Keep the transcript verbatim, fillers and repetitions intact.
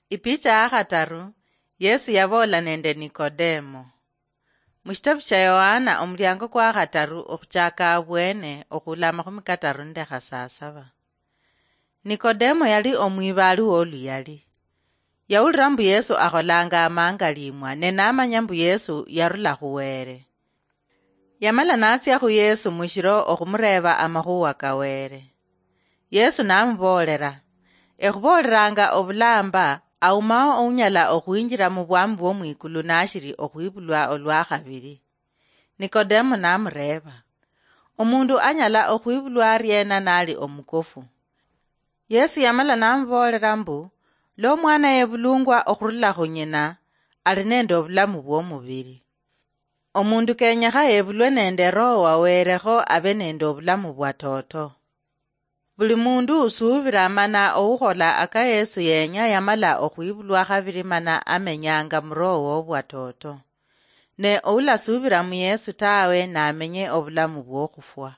Ipicha ya khataru. Yesu yaboola nende Nikodemo. Mushitabu shia Yohana, omuliango kwa khataru, okhuchaka abwene, okhula amakhumi kataru nende khasasaba. Nikodemo yali omwibaali woluyali. Yawulira mbu Yesu akholanga amangalimwa, ne namanya mbu Yesu yarula khu Were. Yamala natsia khu Yesu mushiro okhumureeba amakhuwa ka Were. Yesu namuboolera, "Ekhubooleranga obulamba, aumao ounyala okhwinjira mu bwami bwomwikulu nashiri okhwibulwa olwa khabiri." Nikodemo namureeba, "Omundu anyala okhwibulwa ariena nali omukofu?" Yesu yamala namuboolera mbu, "Lwa omwana yebulungwa okhurula khu nyina, ali nende obulamu bwomubiri. Omundu kenyekha yebulwe nende Roho wa Werekho abe nende obulamu bwa toto." Buli mundu usuubira mana oukhola aka Yesu yenya yamala okhwibulwa khabiri mana amenyanga mu Roho wobwa toto. Ne oulasuubira mu Yesu tawe namenye obulamu bwokhufwa.